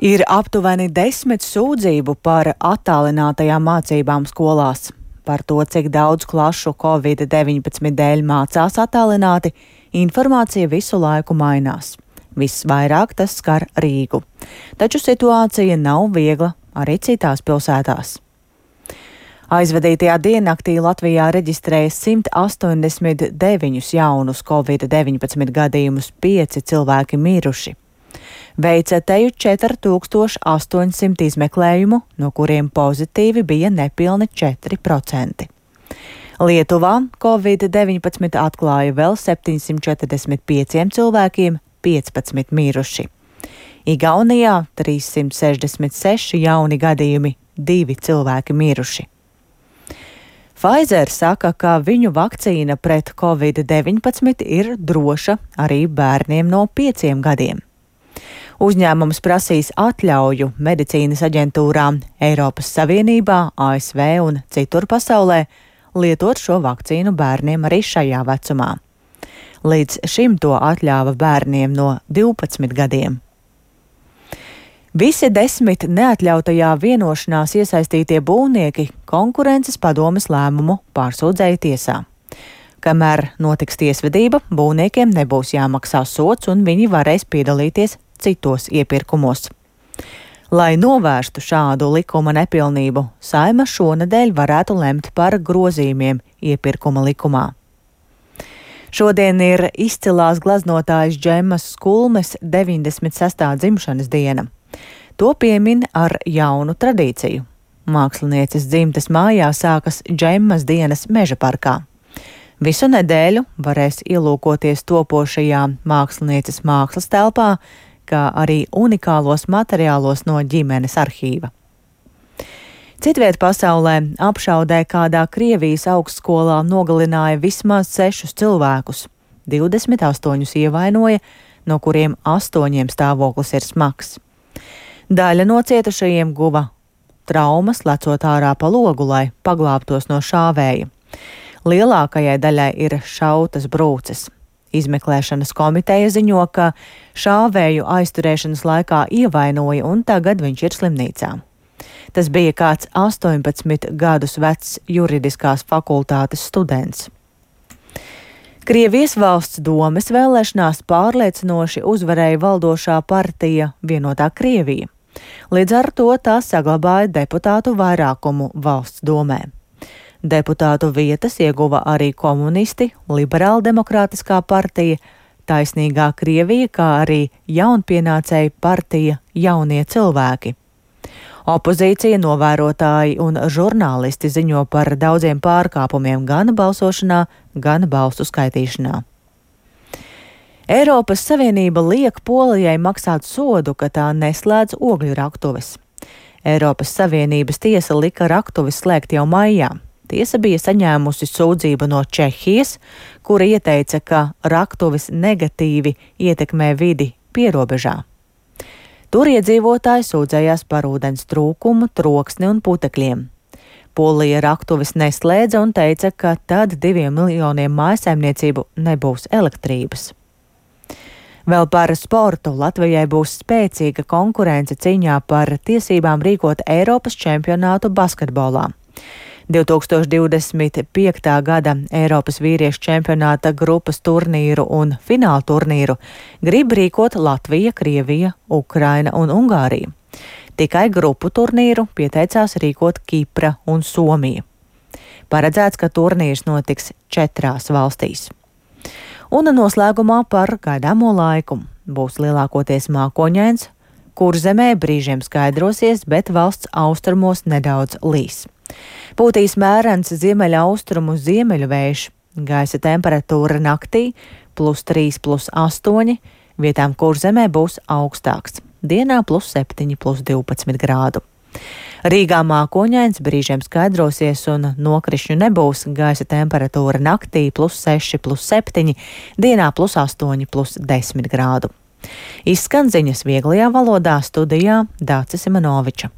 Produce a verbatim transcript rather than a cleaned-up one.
Ir aptuveni desmit sūdzību par attālinātajām mācībām skolās. Par to, cik daudz klašu covid deviņpadsmit dēļ mācās attālināti, informācija visu laiku mainās. Visvairāk tas skar Rīgu. Taču situācija nav viegla arī citās pilsētās. Aizvadītajā diennaktī Latvijā reģistrēja simt astoņdesmit deviņus jaunus covid deviņpadsmit gadījumus, pieci cilvēki miruši. Veica teju četri tūkstoši astoņsimt izmeklējumu, no kuriem pozitīvi bija nepilni četri procenti. Lietuvā covid deviņpadsmit atklāja vēl septiņsimt četrdesmit pieciem cilvēkiem, piecpadsmit miruši. Igaunijā trīssimt sešdesmit seši jauni gadījumi, divi cilvēki miruši. Pfizer saka, ka viņu vakcīna pret covid deviņpadsmit ir droša arī bērniem no pieciem gadiem. Uzņēmums prasīs atļauju medicīnas aģentūrām Eiropas Savienībā, A S V un citur pasaulē lietot šo vakcīnu bērniem arī šajā vecumā. Līdz šim to atļāva bērniem no divpadsmit gadiem. Visi desmit neatļautajā vienošanās iesaistītie būvnieki konkurences padomes lēmumu pārsūdzēja tiesā. Kamēr notiks tiesvedība, būvniekiem nebūs jāmaksā sods un viņi varēs piedalīties citos iepirkumos. Lai novērstu šādu likuma nepilnību, Saeima šonedēļ varētu lemt par grozījumiem iepirkuma likumā. Šodien ir izcilās gleznotājas Džemmas Skulmes deviņdesmit sestā dzimšanas diena. To piemin ar jaunu tradīciju. Mākslinieces dzimtes mājā sākas Džemmas dienas Meža parkā. Visu nedēļu varēs ielūkoties topošajā mākslinieces mākslas telpā, kā arī unikālos materiālos no ģimenes arhīva. Citviet pasaulē apšaudē kādā Krievijas augstskolā nogalināja vismaz sešus cilvēkus, divdesmit astoņus ievainoja, no kuriem astoņiem stāvoklis ir smags. Daļa no cietušajiem guva traumas, lecot ārā pa logu, lai paglābtos no šāvēja. Lielākajai daļai ir šautas brūces. Izmeklēšanas komiteja ziņo, ka šāvēju aizturēšanas laikā ievainoja un tagad viņš ir slimnīcā. Tas bija kāds astoņpadsmit gadus vecs juridiskās fakultātes students. Krievijas valsts domes vēlēšanās pārliecinoši uzvarēja valdošā partija Vienotā Krievija. Līdz ar to tā saglabāja deputātu vairākumu valsts domē. Deputātu vietas ieguva arī komunisti, Liberāldemokrātiskā partija, Taisnīgā Krievija, kā arī jaunpienācēja partija Jaunie cilvēki. Opozīcija, novērotāji un žurnālisti ziņo par daudziem pārkāpumiem gan balsošanā, gan balsu skaitīšanā. Eiropas Savienība liek Polijai maksāt sodu, ka tā neslēdz ogļu raktuves. Eiropas Savienības tiesa lika raktuves slēgt jau maijā. Tiesa bija saņēmusi sūdzību no Čehijas, kura ieteica, ka raktuves negatīvi ietekmē vidi pierobežā. Tur iedzīvotāji sūdzējās par ūdens trūkumu, troksni un putekļiem. Polija raktuves neslēdza un teica, ka tad diviem miljoniem mājsaimniecību nebūs elektrības. Vēl par sportu. Latvijai būs spēcīga konkurence cīņā par tiesībām rīkot Eiropas čempionātu basketbolā. divtūkstoš divdesmit piektā gada Eiropas vīriešu čempionāta grupas turnīru un fināla turnīru grib rīkot Latvija, Krievija, Ukraina un Ungārija. Tikai grupu turnīru pieteicās rīkot Kipra un Somija. Paredzēts, ka turnīrs notiks četrās valstīs. Un noslēgumā par gaidāmo laiku. Būs lielākoties mākoņains, Kurzemē brīžiem skaidrosies, bet valsts austrumos nedaudz līs. Pūtīs mērens ziemeļaustrumu ziemeļu vējš, gaisa temperatūra naktī plus trīs, plus astoņi, vietām Kurzemē būs augstāks, dienā plus septiņi, plus divpadsmit grādu. Rīgā mākoņains, brīžiem skaidrosies un nokrišņu nebūs, gaisa temperatūra naktī plus seši, plus septiņi, dienā plus astoņi, plus desmit grādu. Izskan ziņas vieglajā valodā, studijā Dācis Simanoviča.